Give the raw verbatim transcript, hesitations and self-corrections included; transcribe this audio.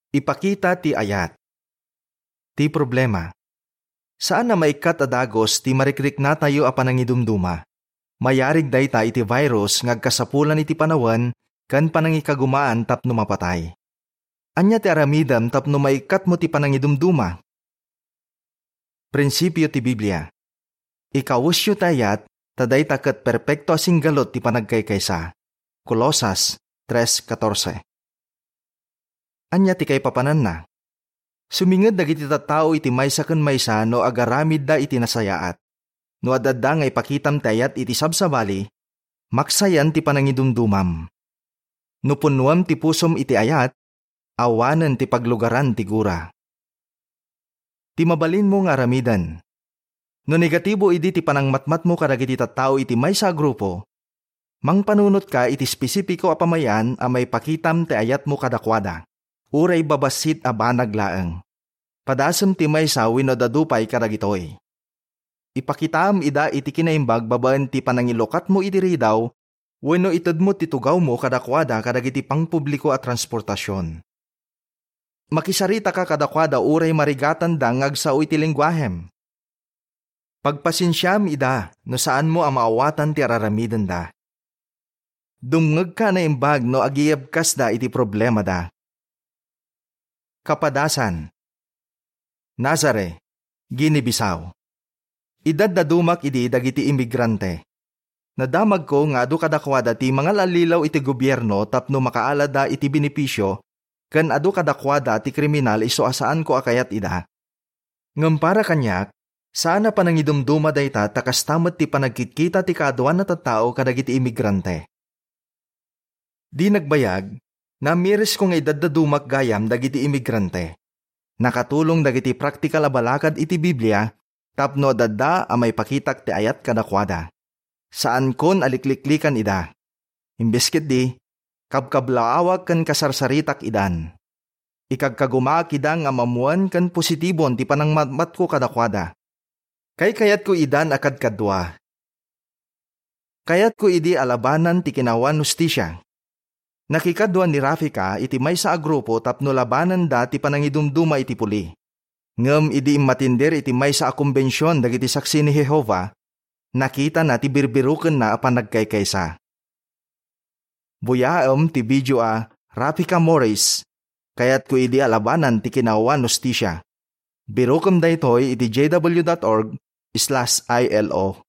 Ipakita ti ayat. Ti problema, saan a maikkat a dagus ti marikriknatayo a panangidumduma. Mayarig dayta iti virus nga agkasapulan iti panawen ken panangikagumaan tapno mapatay. Ania ti aramidem tapno maikkatmo ti panangidumduma? Prinsipio ti Biblia. Ikawesyo ti ayat, ta dayta ket perpekto a singgalut ti panagkaykaysa. Colosas tres catorce. Ania ti kaipapananna? Suminged dagiti tattao iti maysa ken maysa no agaramidda iti nasayaat. No ad-adda nga ipakitam ti ayat iti sabsabali, maksayan ti panangidumdumam. No punnoam ti pusom iti ayat, awanen ti paglugaran ti gura. Ti mabalinmo nga aramiden. No negatibo idi ti panangmatmatmo kadagiti tattao iti maysa a grupo, mangpanunotka iti espesipiko a pamay-an a maipakitam ti ayatmo kadakuada, uray babassit a banag laeng. Padasem ti maysa wenno dadu pay kadagitoy. Ipakitaam ida iti kinaimbag babaen ti panangilukatmo iti ridaw wenno itedmo ti tugawmo kadakuada kadagiti pangpubliko a transportasion. Makisaritaka kadakuada uray marigatanda nga agsao iti lenguahem. Pagpasensiam ida no saanmo a maawatan ti araramidenda. Dumngegka a naimbag no agiyebkasda iti problemada. Kapadasan. Nazare, Guinea-Bissau. Idaddadumak idi dagiti imigrante. Nadamagko nga adu kadakuada ti mangal-allilaw iti gobierno tapno makaalada iti benepisio ken adu kadakuada ti kriminal isu a saanko a kayat ida. Ngem para kaniak, saan a panangidumduma dayta ta kasta met ti panagkitkita ti kaaduan a tattao kadagiti imigrante. Di nagbayag, namirisko nga idaddadumak gayam dagiti imigrante. Nakatulong dagiti praktikal a balakad iti Biblia tapno adda a maipakitak ti ayat kadakuada. Saankon a likliklikan ida. Imbes ketdi, kabkablaawak ken kasarsaritak idan. Ikagkagumaak ida nga ammoen ken positibon ti panangmatmatko kadakuada. Kaykayatko idan a kadkadua. Kayatko idi a labanan ti kinawan hustisia. Nakikadua ni Rafika iti maysa a grupo tapno labananda ti panangidumduma iti puli. Ngem idi immatindir iti maysa a kombension dagiti Saksi ni Jehova, nakitana ti birbirukenna a panagkaykaysa. Buyaem ti video a Rafika Morris, Kayatko idi a labanan ti kinawan hustisia. Birukem daytoy iti J W dot org slash I L O.